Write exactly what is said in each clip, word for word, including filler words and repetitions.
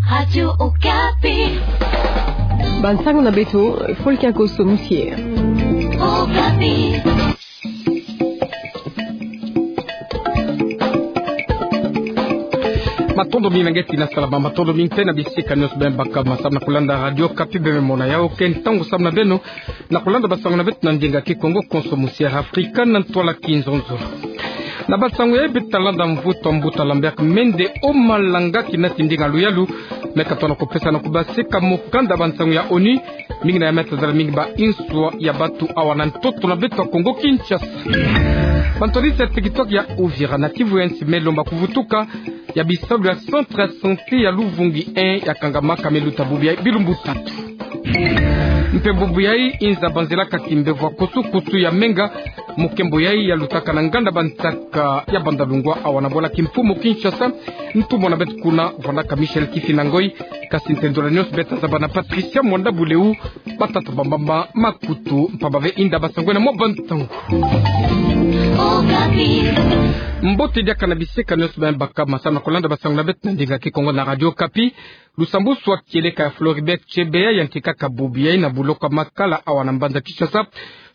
Radio Okapi. Bansango na beto, Fulkia Koso Musie. Okapi. Matondo mingi na nge ti na salama, matondo mingi te na bisika nionso beno baka ma samu na kulanda Radio Okapi, beno mona yawu ke ntangu samu na beno na kulanda bansango na beto na ndinga Kikongo konso musi ya Afrika na ntwala Kinzonzolo. Na bansango yayi beto ta landa mvutu a mbuta Lambert Mende Omalanga kinati ndinga luyalu me katona kupesa na kubaseka mokanda bansango ya ONU, mingi na ya me tazala mingi ba inswa ya batu awa na ntoto na beto ya Kongo Kinshasa. Bantwadisi ya TikTok ya Uvira na Kivu ya Nsi me lomba kuvutuka ya bisalu ya centre ya santé ya Luvungi un ya kangamaka me luta bubu yayi bilumbu tatu. Mpe bubu yayi inza banzelaka kimbevo ya kusu-kusu ya menga, mokembo yayi ya lutaka na nganda bantaka ya Bandalungwa awa na bwala kimfumu Kinshasa. Ntumwa na beto kuna vwandaka Michel Kifinda Ngoi, kasi ntendolo nionso beto ta zaba na Patricia Mwanda Buleu. Batata bambamba makutu mpamba ve inda basangwena mwa bantangu. Mbote diaka na bisika nionso beno baka ma samu na kulanda bansango na beto na ndinga Kikongo na Radio Okapi. Lusambusu wa kieleka ya Floribert Chebeya yantikaka bubu yayi na buloko ya Makala awa na mbanza Kinshasa.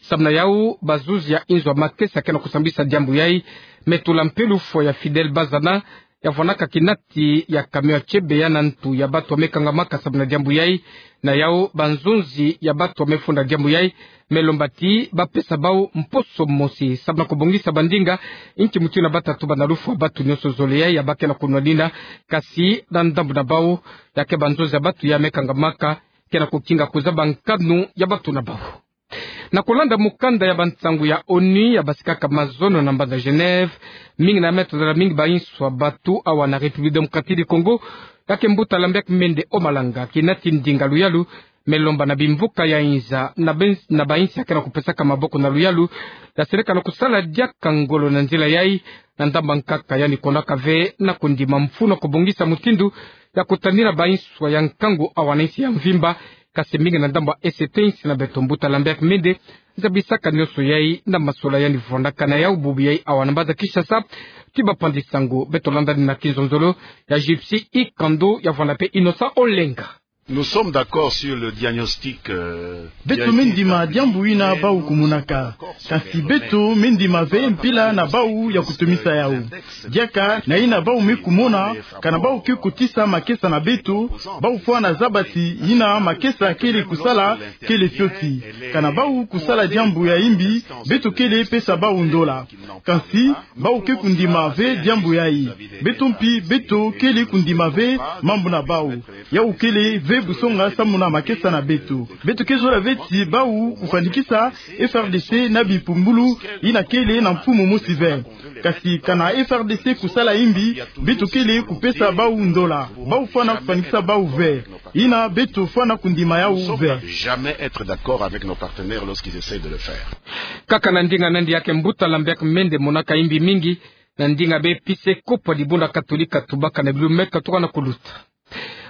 Samu na yawu, bazuzi ya inzo ya makesa ke na kusambisa diambu yayi me tula mpe lufwa ya Fidèle Bazana ya vwandaka kinati ya camion ya Chebeya na ntu ya batu ya me kangamaka samu na diambu yayi. Na yawu, banzonzi ya batu ya me funda diambu yayi me lomba ti bapesa bawu mposo mosi samu na kubongisa bandinga inki mutu yina bata tuba na lufwa ya batu nionso zole yayi ya ba ke na kunwanina, kasi na ndambu na bawu, ya ke banzonzi ya batu ya me kangamaka ke na kukinga kuzaba nkanu ya batu na bawu. Na kulanda mokanda ya bansango ya ONU ya basikaka mazono na mbanza Genève, mingi na ya me tazala mingi ba inswa batu awa na République Démocratique du Congo, ya ke mbuta Lambert Mende Omalanga kinati ndinga luyalu me lomba na bimvuka ya inza na ben-, na ba insi ya ke na kupesaka maboko na luyalu, ya seleka na kusala diaka ngolo na nzila yayi, na ndambu ya nkaka yandi kondaka ve na kundima mfunu ya kubongisa mutindu ya kutanina ba inswa ya nkangu awa na insi ya mvimba, kasi mingi na ndambu ya E C T insi na beto. Mbuta Lambert Mende zabisaka nionso yayi na masola yandi vwandaka na yawu bubu yayi awa na mbanza Kinshasa. Ti bapandi sango beto landa ni na Kinzonzolo ya Gypsy Ikando ya vwanda mpe Innocent Olenga. Nous sommes d'accord sur le diagnostic, euh, qui a été établi. Beto me ndima diambu yina bawu kumonaka. Kasi beto me ndima ve mpila na bawu ya kutomisa yawu. Diaka na yina bawu me kumona, kana bawu ke kotisa makesa na beto, bawu fwana zaba ti yina makesa kele kusala kele fioti. Kana bawu kusala diambu ya imbi, beto kele pesa bawu ndola. Kasi bawu ke kundima ve diambu yayi. Beto mpi, beto kele kundima ve mambu na bawu. Yawu kele ve busonga samu na makesa na beto. Beto ke zola ve ti bawu kufwanikisa F R D C na bipumbulu yina kele na mfumu mosi ve. Kasi kana F R D C kusala imbi, beto kele kupesa bawu ndola. Bawu fwana kufwanikisa bawu ve. Yina beto fwana kundima yawu ve. Jamais être d'accord avec nos partenaires lorsqu'ils essayent de le faire. Kaka na ndinga nandi ya ke mbuta Lambert Mende monaka imbi mingi, na ndinga be episkopo ya dibundu katolika tubaka na bilu me katuka na kuluta.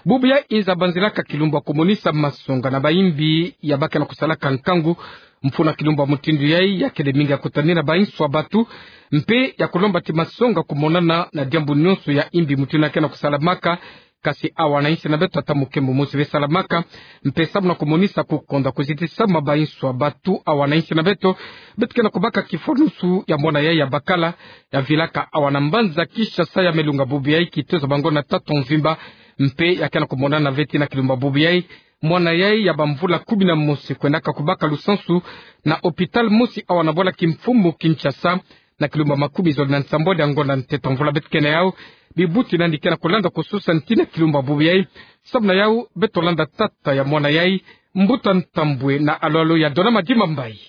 Bubu yayi inza banzilaka kilumbu ya kumonisa masonga na ba imbi ya ba ke na kusalaka nkangu. Mfunu ya kilumbu ya mutindu yayi ya kele mingi ya kutanina ba inswa batu, mpe ya kulomba ti masonga kumonana na diambu nionso ya imbi mutindu yina ke na kusalamaka. Kasi awa na insi na beto ata mukembo mosi ve salamaka, mpe samu na kumonisa kukonda kuzitisama ba inswa batu awa na insi na beto, beto ke na kubaka kifwanusu ya mwana yayi ya bakala, ya vilaka awa na mbanza Kinshasa, ya me lunga bubu yayi kitezo bango na tata mvimba, mpe ya ke na kumonana ve ti na kilumbu ya bubu yayi mwana yayi ya bamvula kumi na mosi kwendaka kubaka lusansu na hôpital mosi awa na bwala kimfumu Kinshasa, na kilumbu ya makumi zole na nsambwadi ya ngonda ntete mvula beto ke na yawu. Bibuti nandi ke na kulanda kususa nti na kilumbu ya bubu yayi. Samu na yawu, beto landa tata ya mwana yayi, mbuta Ntambwe na alo-alo ya Dona Madimba Mbayi.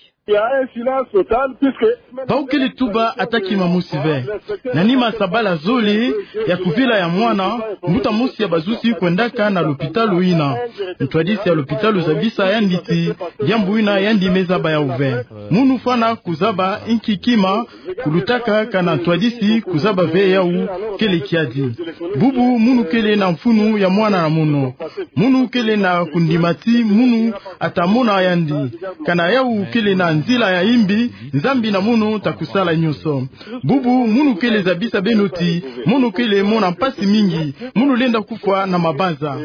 Bawu kele tuba ata kima mosi ve. Na nima sabala zole ya kuvila ya mwana, mbuta mosi ya bazuzi kwendaka na lopitalo yina. Ntwadisi ya lopitalo zabisa yandi ti diambu yina yandi me zaba yawu ve. Munu fwana kuzaba inki kima kulutaka kana ntwadisi kuzaba ve yawu kele kiadi. Bubu munu kele na mfunu ya mwana na mono. Munu kele na kundima ti munu ata mona yandi. Kana yawu kele na nzila ya imbi, Nzambi na munu ta kusala nyonso. Bubu, munu kele zabisa beno ti, munu kele mona mpasi mingi, munu lenda kufwa na mabanza.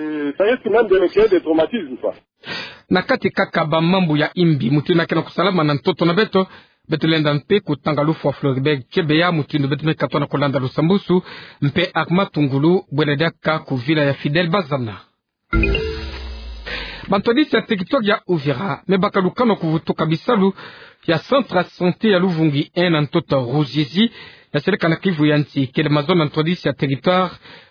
Na kati kaka ba mambu ya imbi, mutindu ke na kusalama na ntoto na beto, beto lenda mpe kutanga lufwa Floribert Chebeya, mutindu beto me katwa na kulanda lusambusu, mpe Armand Tungulu, bwela diaka kuvila ya Fidèle Bazana. Bantwadisi ya territoire ya Uvira me baka lukanu ya kuvutuka bisalu ya centre ya santé ya Luvungi un na ntoto Ruzizi, ya seleka na Kivu ya nsi. Kele mazono ya ntwadisi ya territoire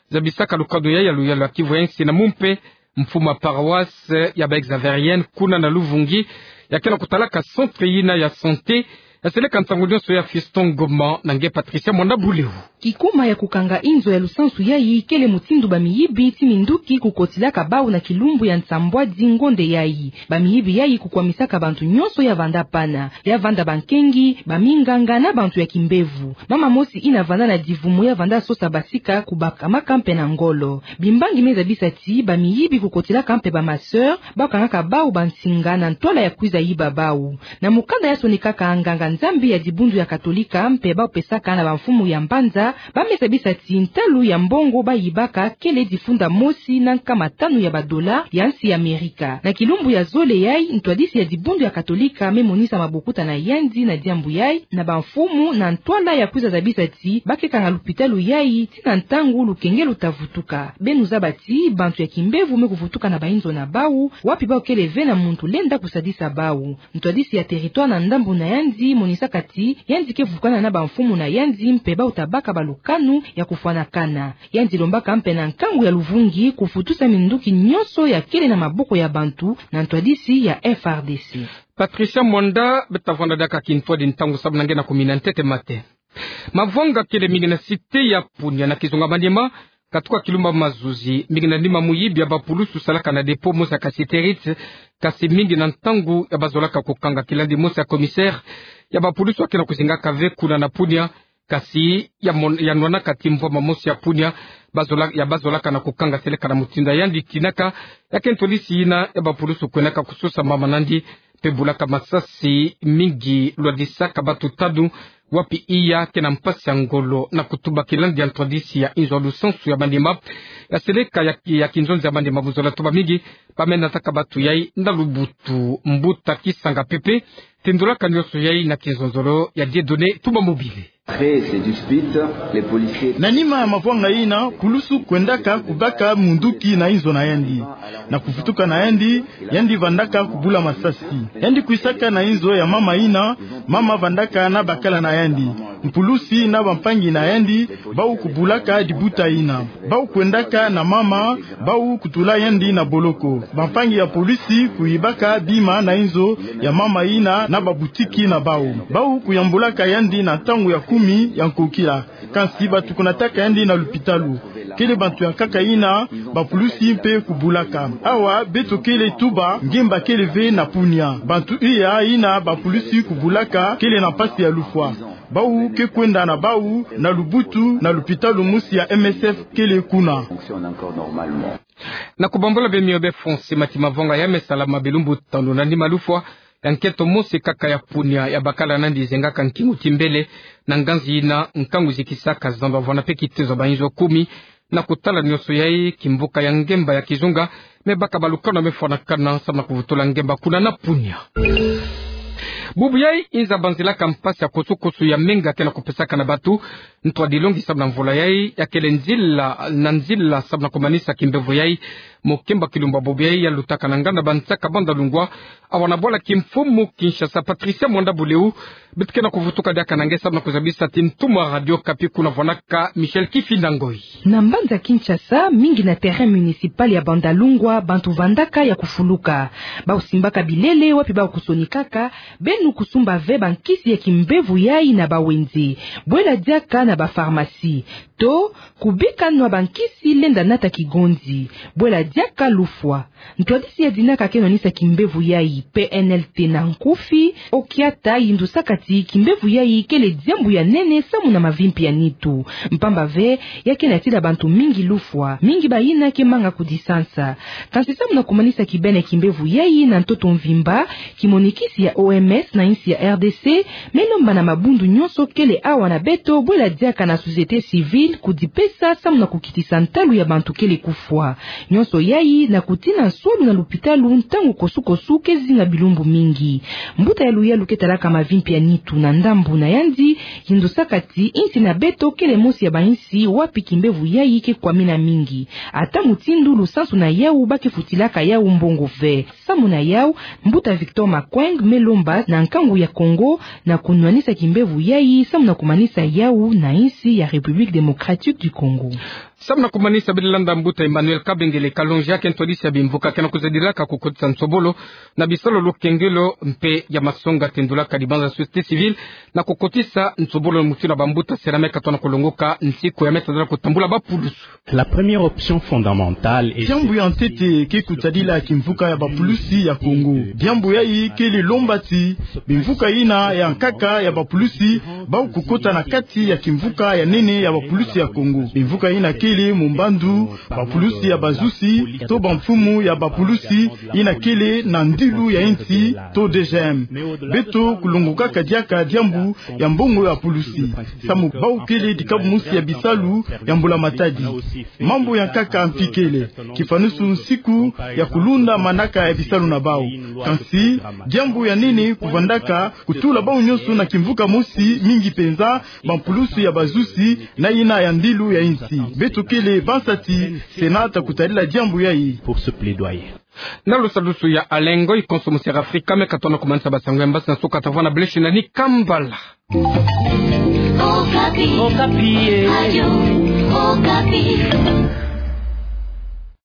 zabisaka lukanu yayi ya luyalu ya Kivu ya nsi na mumpe mfumu ya paroisse ya ba Xaveriens kuna na Luvungi, ya ke na kutalaka centre yina ya santé, ya seleka ntangu nyonso ya Fiston Ngoma na nge Patricia Mwanda Buleu. Kikuma ya kukanga inzo ya lusansu yayi kele mutindu ba miyibi ti minduki kukotilaka bawu na kilumbu ya nsambwadi ngonde yayi. Ba miyibi yayi kukwamisaka bantu nyonso ya vanda pana, ya vanda bankengi, ba minganga na bantu ya kimbevo. Mama mosi yina vanda na divumu ya vanda sosa basika kubakamaka mpe na ngolo. Bimbangi me zabisa ti ba miyibi kukotilaka mpe ba masseurs, ba kangaka bawu bansinga na ntwala ya kwiza yiba bawu. Na mukanda ya sonikaka nganga-Nzambi ya dibundu ya Katolika mpe ba pesaka na bamfumu ya mbanza, ba me zabisa ti ntalu ya mbongo ba yibaka kele difunda mosi na nkama tanu ya badola ya nsi ya Amerika. Na kilumbu ya zole yayi, ntwadisi ya dibundu ya Katolika me monisa mabokuta na yandi na diambu yayi na bamfumu na ntwala ya kwiza zabisa ti ba ke kanga lupitalu yayi ti na ntangu lukenge luta vutuka. Beno zaba ti bantu ya kimbevo me kuvutuka na bainzo na bawu, wapi bawu kele ve na muntu lenda kusadisa bawu. Ntwadisi ya territoire na ndambu na yandi monisaka ti yandi ke vukana na bamfumu na yandi mpe bawu ta baka balukanu ya kufwanakana. Yandi lombaka mpe na nkangu ya Luvungi kufutusa minduki nyonso ya kele na maboko ya bantu na ntwadisi ya F R D C. Patricia Mwanda, beta vanda diaka kintwadi ntangu samu na nge na kumina ntete mate. Mavwanga kele mingi na cité ya Punia na kizunga Maniema, katuka kilumbu Mazuzi, mingi na nima muyibi ya bapulusu salaka na dépôt mosi ya Cassiterite, kasi mingi na ntangu ya bazolaka kukanga. Kilandi mosi ya commissaire ya bapulusu ya ke na kuzingaka ve kuna na Punia, kasi ya mon-, ya nwanaka ti mvwama mosi ya Punia, bazola-, ya bazolaka na kukanga seleka na mutindu ya yandi tinaka, ya ke ntwadisi yina ya bapulusu kwendaka kusosa mama nandi, mpe bulaka masasi mingi, lwadisaka batu tanu, wapi iya ke na mpasi ya ngolo na kutuba. Kilandi ya ntwadisi ya inzo ya lusansu ya Maniema, ya seleka ya, ya kinzonzi ya Maniema, buzola tuba mingi, ba me nataka batu yayi na lubutu. Mbuta Kisanga Pepe tendulaka nyonso yayi na kinzonzolo ya Dieudonné Tumba Mobile. Après, c'est dispute, les policiers. Na nima ya mavwanga yina, pulusu kwendaka kubaka munduki na inzo na yandi. Na kuvutuka na yandi, yandi vandaka kubula masasi. Yandi kwisaka na inzo ya mama yina, mama vandaka na bakala na yandi. Mpulusi na bampangi na yandi, bawu kubulaka dibuta yina. Bawu kwendaka na mama, bawu kutula yandi na boloko. Bampangi ya polisi kuyibaka bima na inzo ya mama yina na babutiki na bawu. Bawu kuyambulaka yandi na ntangu ya kumi ya nkokila. Kansi batu kunataka yandi na lupitalu. Kele bantu ya nkaka yina bapulusi mpe kubulaka. Awa beto kele tuba, ngemba kele ve na Punia. Bantu iya yina bapulusi kubulaka kele na mpasi ya lufwa. Bawu ke kwenda na bawu na lubutu na lupitalu mosi ya M S F kele kuna. Na kubambola bemio be Fonse, mati mavwanga ya me salama bilumbu tanu na nima lufwa ya nkento mosi kaka ya Punia ya bakala nandi zengaka nkingu ti mbele na nganzi yina nkangu zikisaka zando, avwanda mpe kitezo ya bainzo kumi. Na kutala nyonso yayi, kimvuka ya ngemba ya kizunga me baka balukanu ya me fwanakana samu na kuvutula ngemba kuna na Punia. Bubu yayi inza banzilaka mpasi ya kusu-kusu ya menga ke na kupesaka na batu. Ntwadi longi samu na mvula yayi, ya kele nzila na nzila samu na kumanisa kimbevo yayi. Mokemba kilumbu ya bubu yayi ya lutaka na nganda Bansaka Bandalungwa, awa na bwala kimfumu Kinshasa. Patricia Mwanda Buleu, beto ke na kuvutuka diaka na nge samu na kuzabisa ti ntumwa Radio Okapi kuna vwanaka Michel Kifinda Ngoi. Na mbanza Kinshasa, mingi na terrain municipal ya Bandalungwa, bantu vandaka ya kufuluka. Bawu simbaka bilele wapi bawu kusonikaka, beno kusumba ve bankisi ya kimbevo yayi na bawenze. Bwela diaka na bapharmacie. To, kubika nwa bankisi lenda nata kigonzi. Bwela Diaka lufwa. Ntwadisi ya dinaka ke nwanisa kimbevo yayi, P N L T na nkufi, okiata yindusaka ti kimbevo yayi kele diambu ya nene samu na mavimpi ya nitu. Mpamba ve, ya ke natila bantu mingi lufwa, mingi bayina ke manga kudisansa. Kansi samu na kumanisa kibeni kimbevo yayi na ntoto mvimba, kimonikisi ya O M S na insi ya R D C, me lomba na mabundu nyonso kele awa na beto bwela diaka na société civile kudipesa samu na kukitisa ntalu ya bantu kele kufwa. Nyonso yayi na kutina nsolu na lupitalu ntangu kosukosu ke zinga bilumbu mingi. Mbuta ya luyalu ke talaka mavimpi ya nitu na ndambu na yandi, yindusaka ti insi na beto kele mosi ya bainsi wapi kimbevo yayi ke kwamina mingi. Ata mutindu lusansu na yawu ba ke futilaka yawu mbongo ve. Samu na yawu, mbuta Victor Makweng me lomba na nkangu ya Congo na kunwanisa kimbevo yayi samu na kumanisa yawu na insi ya République Démocratique du Congo. Samu na kumanisa, bele landa mbuta Emmanuel Kabengele Kalonji, ya ke ntwadisi ya bimvuka, ke na kuzadilaka kukotisa nsobolo na bisalu ya lukengelo mpe ya masonga, tendulaka dibanza société civile na kukotisa nsobolo mutindu ya bambuta sera me katona kulongoka nsiku ya me tadila kutambula bapulusu. La première option fondamentale est... Diambu ya ntete ke kutadila kimvuka ya bapulusi ya Congo. Diambu yayi kele lomba ti bimvuka yina ya nkaka ya bapulusi bau kukota na kati ya kimvuka ya nene ya bapulusi ya Congo. Bimvuka yina kele Mumbandu, bapulusi ya bazusi, to bamfumu ya bapulusi yina kele na ndilu ya insi, to D G M. Beto kulongokaka diaka diambu ya mbongo ya pulusi, samu bau kele dikabu mosi ya bisalu ya mbula matadi. Mambu ya nkaka mpi kele, kifanusu nsiku ya kulunda manaka ya bisalu na bau. Kansi, diambu ya nene kuvandaka kutula bau nyonso na kimvuka mosi, mingi penza bampulusu ya bazusi na yina ya ndilu ya insi. Beto kele bansa ti Sénat ta kutadila diambu yayi. Pour ce plaidoyer. Na lusadusu ya Alengo, i konso musi ya Afrika me katona kumanisa basango ya mbasi na suka, ta vwanda bele shinda ni kambala. Okapi. Okapi, eh. Radio Okapi.